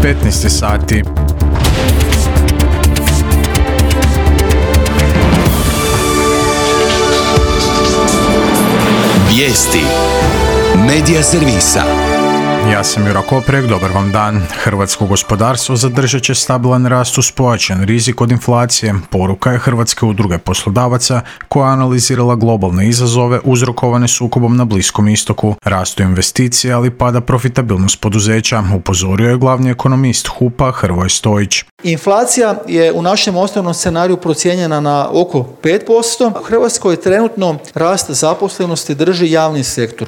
15 sati. Vijesti Medija servisa. Ja sam Jura Koprek, dobar vam dan. Hrvatsko gospodarstvo zadržat će stabilan rast uz pojačan rizik od inflacije. Poruka je Hrvatske udruge poslodavaca koja je analizirala globalne izazove uzrokovane sukobom na Bliskom istoku, rastu investicija, ali pada profitabilnost poduzeća, upozorio je glavni ekonomist HUP-a Hrvoje Stojić. Inflacija je u našem osnovnom scenariju procijenjena na oko 5%. U Hrvatskoj trenutno rast zaposlenosti drži javni sektor,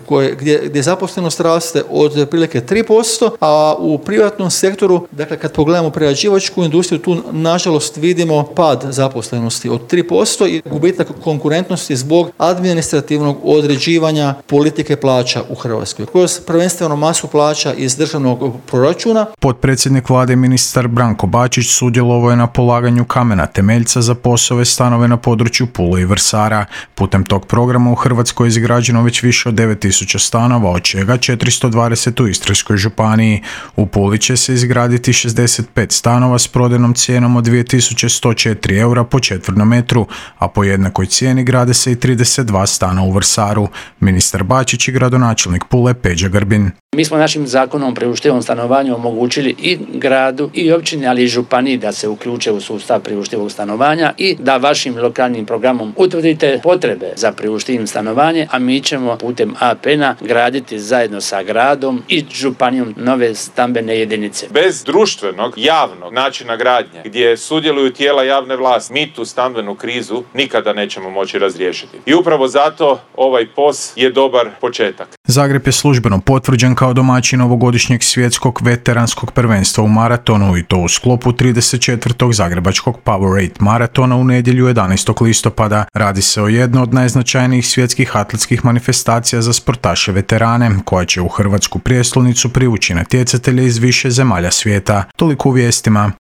gdje zaposlenost raste od otprilike 3%, a u privatnom sektoru, dakle kad pogledamo prerađivačku industriju, tu nažalost vidimo pad zaposlenosti od 3% i gubitak konkurentnosti zbog administrativnog određivanja politike plaća u Hrvatskoj, kroz prvenstveno masu plaća iz državnog proračuna. Potpredsjednik vlade ministar Branko Bačić sudjelovao je na polaganju kamena temeljca za POS-ove stanove na području Pule i Vrsara. Putem tog programa u Hrvatskoj je izgrađeno već više od 9000 stanova, od čega 420 u Istarskoj županiji. U Puli će se izgraditi 65 stanova s prodajnom cijenom od 2104 eura po četvrnom metru, a po jednakoj cijeni grade se i 32 stana u Vrsaru. Ministar Bačić i gradonačelnik Pule Peđa Grbin. Mi smo našim zakonom o priuštivom stanovanju omogućili i gradu i općini, ali i županiji da se uključe u sustav priuštivog stanovanja i da vašim lokalnim programom utvrdite potrebe za priuštivim stanovanje, a mi ćemo putem APN-a graditi zajedno sa gradom i županijom nove stambene jedinice. Bez društvenog, javnog načina gradnje, gdje sudjeluju tijela javne vlasti, mi tu stambenu krizu nikada nećemo moći razriješiti. I upravo zato ovaj POS je dobar početak. Zagreb je službeno potvrđen kao domaćin ovogodišnjeg svjetskog veteranskog prvenstva u maratonu i to u sklopu 34. zagrebačkog Powerade maratona u nedjelju 11. listopada. Radi se o jednoj od najznačajnijih svjetskih atletskih manifestacija za sportaše veterane, koja će u hrvatsku prijestolnicu privući natjecatelje iz više zemalja svijeta. Toliko u vijestima.